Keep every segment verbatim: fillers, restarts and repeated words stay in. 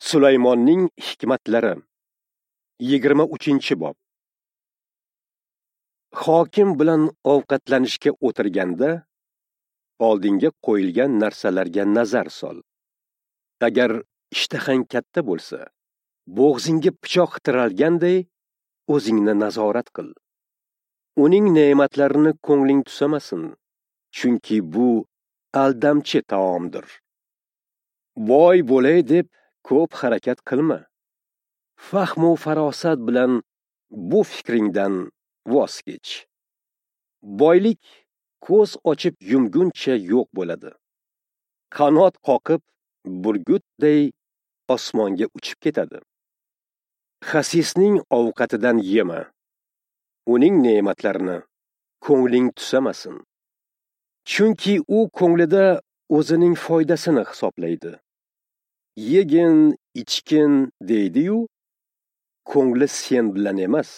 Sulaymonning hikmatlari. Yigirma uchinchi bob. Hokim bilan ovqatlanishga o'tirganda oldinga qo'yilgan narsalarga nazar sol. Agar ishtahang katta bo'lsa, bo'g'zingga pichoq tiralganday o'zingni nazorat qil. Uning ne'matlarini ko'ngling tusamasin, chunki bu aldamchi taomdir. Boy bo'lay deb ko'p harakat qilma. Fahmu farosat bilan bu fikringdan voz kech. Boylik ko'z ochib yumguncha yo'q bo'ladi. Qanot qoqib burgutday osmonga uchib ketadi. Xasisning ovqatidan yema. Uning ne'matlarini ko'ngling tusamasin. Chunki u ko'nglida o'zining foydasini hisoblaydi. Yegin, ichgin deydi-yu, ko'ngli sen bilan emas.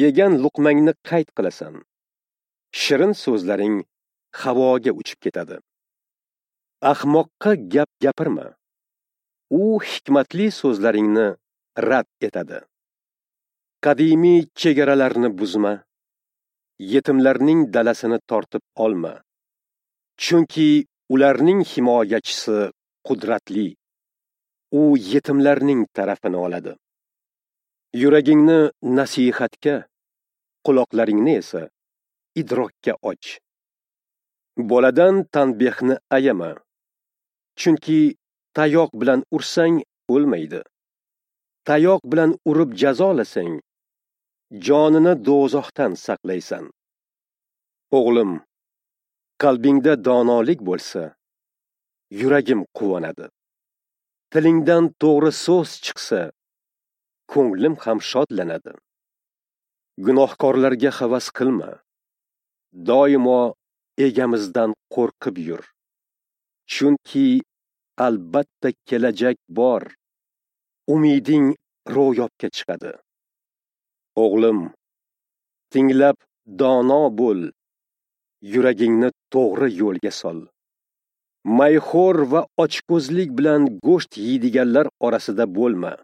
Yegan luqmangni qayd qilasan. Shirin so'zlaring havoga uchib ketadi. Ahmoqqa gap gapirma. U hikmatli so'zlaringni rad etadi. Qadimiy chegaralarni buzma. Yetimlarning dalasini tortib olma. Chunki ularning himoyachisi qudratli. U yetimlarning tarafini oladi. Yuragingni nasihatga, quloqlaringni esa idrokka och. Boladan tanbehni ayama. Chunki tayoq bilan ursang o'lmaydi. Tayoq bilan urib jazolasang, jonini do'zaxdan saqlaysan. O'g'lim, qalbingda donolik bo'lsa, yuragim quvonadi. Tilingdan to'g'ri so'z chiqsa, ko'nglim ham shodlanadi. Gunohkorlarga havas qilma. Doimo egamizdan qo'rqib yur. Chunki albatta kelajak bor. Umiding ro'yobga chiqadi. O'g'lim, tinglab dono bo'l. Yuragingni to'g'ri yo'lga sol. Mayxo'r va ochko'zlik bilan go'sht yeydiganlar orasida bo'lma.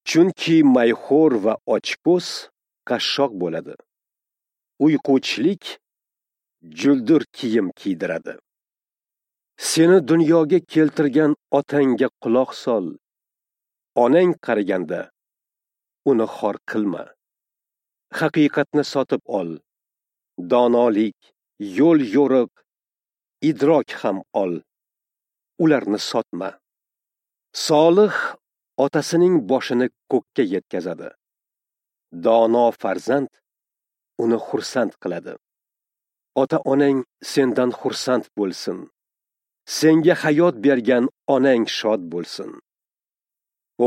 Chunki mayxo'r va ochko'z qashshoq bo'ladi. Uyquchilik juldur kiyim kiydiradi. Seni dunyoga keltirgan otangga quloq sol. Onang qariganda uni xor qilma. Haqiqatni sotib ol. Donolik, yo'l yo'riq, idrok ham ol. Ularni sotma. Solih otasining boshini ko'kka yetkazadi. Dono farzand uni xursand qiladi. Ota-onang sendan xursand bo'lsin. Senga hayot bergan onang shod bo'lsin.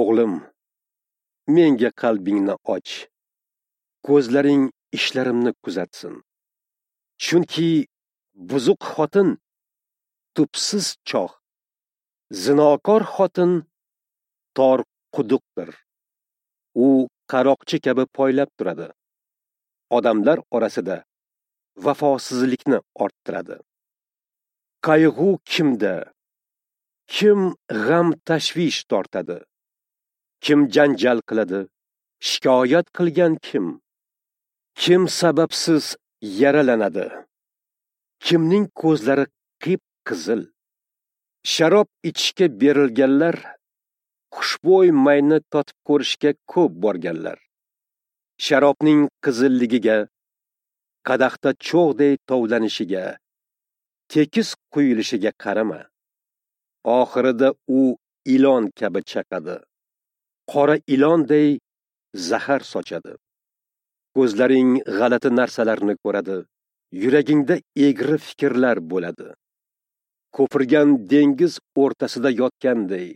O'g'lim, menga qalbingni och. Ko'zlaring ishlarimni kuzatsin. Chunki buzuq xotin tubsiz choh, zinokor xotin tor quduqdir. U qaroqchi kabi poylab turadi. Odamlar orasida vafosizlikni orttiradi. Qayg'u kimda? Kim g'am tashvish tortadi? Kim janjal qiladi? Shikoyat qilgan kim? Kim sababsiz yaralanadi? Kimning ko'zlari qip-qizil? Sharob ichishga berilganlar, xushbo'y mayni totib ko'rishga ko'p borganlar. Sharobning qizilligiga, qadahda cho'g'day tovlanishiga, tekis quyilishiga qarama. Oxirida u ilon kabi chaqadi. Qora ilonday zahar sochadi. Ko'zlaring g'alati narsalarni ko'radi, yuragingda egri fikrlar bo'ladi. Ko'pirgan dengiz o'rtasida yotganday,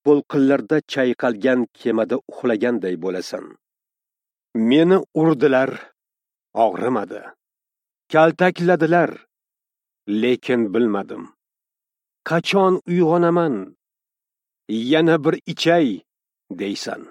to'lqinlarda chayqalgan kemada uxlaganday bo'lasan. Meni urdilar, og'rimadi. Kaltakladilar, lekin bilmadim. Qachon uyg'onaman? Yana bir ichay deysan.